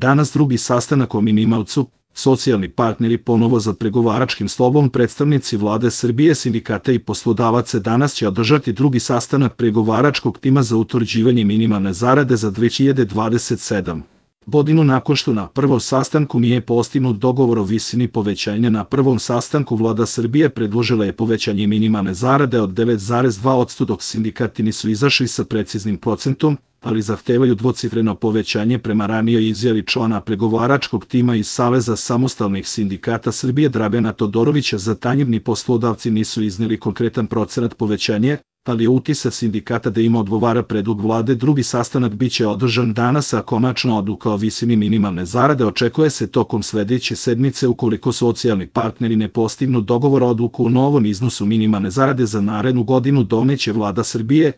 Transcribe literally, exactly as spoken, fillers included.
Danas drugi sastanak o minimalcu, socijalni partneri ponovo za pregovaračkim stolom, predstavnici vlade Srbije, sindikata i poslodavaca. Danas će održati drugi sastanak pregovaračkog tima za utvrđivanje minimalne zarade za dve hiljade dvadeset sedmu. godinu nakon što na prvom sastanku nije postignut dogovor o visini povećanja. Na prvom sastanku vlada Srbije predložila je povećanje minimalne zarade od devet zarez dva posto, dok sindikati nisu izašli sa preciznim procentom, ali zahtevaju dvocifreno povećanje. Prema ranijoj izjavi člana pregovaračkog tima iz Saveza samostalnih sindikata Srbije Dragana Todorovića, zatanjivni poslodavci nisu izneli konkretan procenat povećanja, ali je utisak sindikata da im odgovara predlog vlade. Drugi sastanak biće održan danas, a konačna odluka o visini minimalne zarade očekuje se tokom sledeće sedmice. Ukoliko socijalni partneri ne postignu dogovor, odluku o novom iznosu minimalne zarade za narednu godinu doneće vlada Srbije,